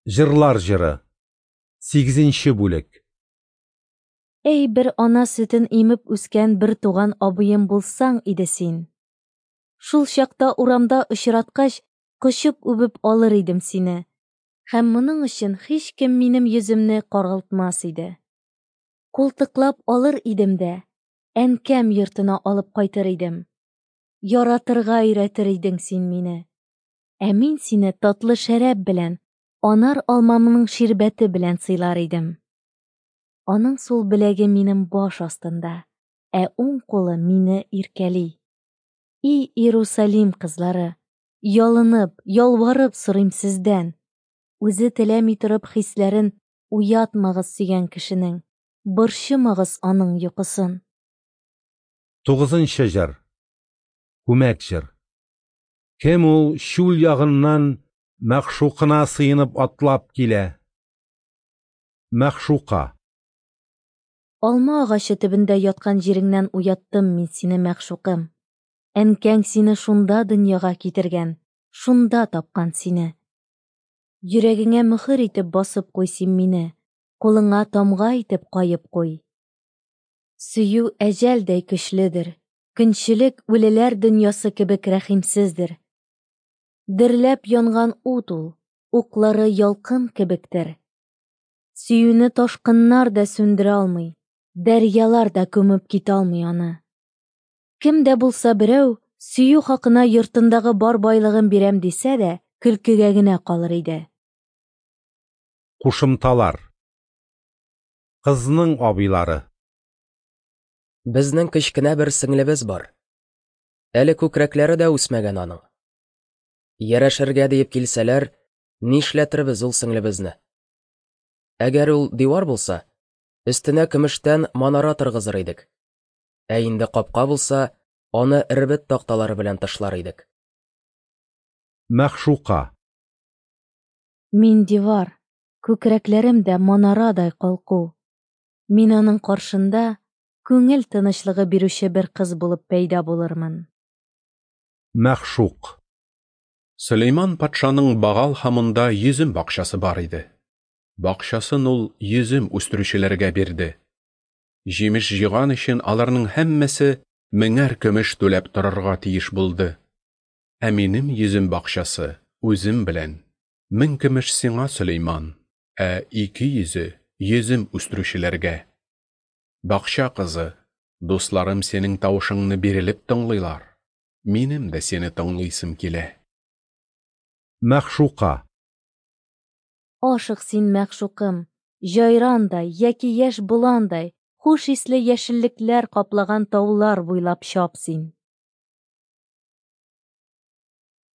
Җырлар җыры. Сигезенче бүлек. Әй, бер ана сөтен имеп үскән бер туган абыем булсаң иде син. Шул чакта урамда очраткач, кочып үбеп алыр идем сине. Һәм моның өчен һичкем минем йөземне каралтмас иде. Култыклап алыр идем дә, әнкәм йортына алып кайтыр идем. Яратырга өйрәтер идең син мине. Ә мин сине татлы шәраб белән, анар алмамның ширбәте белән сыйлар идем. Аның сул беләге минем баш астында, ә уң кулы мине иркәли. И Иерусалим кызлары, ялынып, ялварып сорыйм сездән. Үзе теләми торып хисләрен уятмагыз сөйгән кешенең, борчымагыз аның йокысын. Тугызынчы җыр. Күмәк җыр. Кем ул чүл ягыннан мәгъшукына сыенып атлап килә? Мәгъшука. Алма агачы төбендә яткан җиреңнән уяттым мин сине, мәгъшукым. Әнкәң сине шунда дөньяга китергән, шунда тапкан сине. Йөрәгеңә мөхер итеп басып куй син мине, кулыңа тамга итеп каеп куй. Сөю әҗәлдәй көчледер, көнчелек үлеләр дөньясы кебек рәхимсездер. Дөрләп янган ут ул, уклары ялкын кебектер. Сөюне ташкыннар да сүндерә алмый, дәрьялар да күмеп китә алмый аны. Кем дә булса берәү сөю хакына йортындагы бар байлыгын бирәм дисә дә, көлкегә генә калыр иде. Кушымталар. Кызның абыйлары. Безнең кечкенә бер сеңлебез бар. Әле күкрәкләре дә үсмәгән аның. Ярәшергә диеп килсәләр, нишләтербез ул сеңлебезне? Әгәр ул дивар булса, өстенә көмештән манара торгызыр идек. Ә инде капка булса, аны эрбет такталары белән тышлар идек. Мәгъшука. Мин дивар, күкрәкләрем дә манарадай калку. Мин аның каршында күңел тынычлыгы бирүче бер кыз булып пәйда булырмын. Мәгъшук. Сөләйман патшаның Багал һамонда йөзем бакчасы бар иде. Бакчасын ул йөзем үстерүчеләргә бирде. Җимеш җыйган өчен аларның һәммәсе меңәр көмеш түләп торырга тиеш булды. Ә минем йөзем бакчасы үзем белән. 1000 көмеш сиңа, Сөләйман, ә 200-е йөзем үстерүчеләргә. Бакча кызы, дусларым синең тавышыңны бирелеп тыңлыйлар. Минем дә сине тыңлыйсым килә. Мәгъшука. Ашык син, мәгъшукым, җайрандай яки яшь боландай, хуш исле яшеллекләр каплаган таулар буйлап чап син.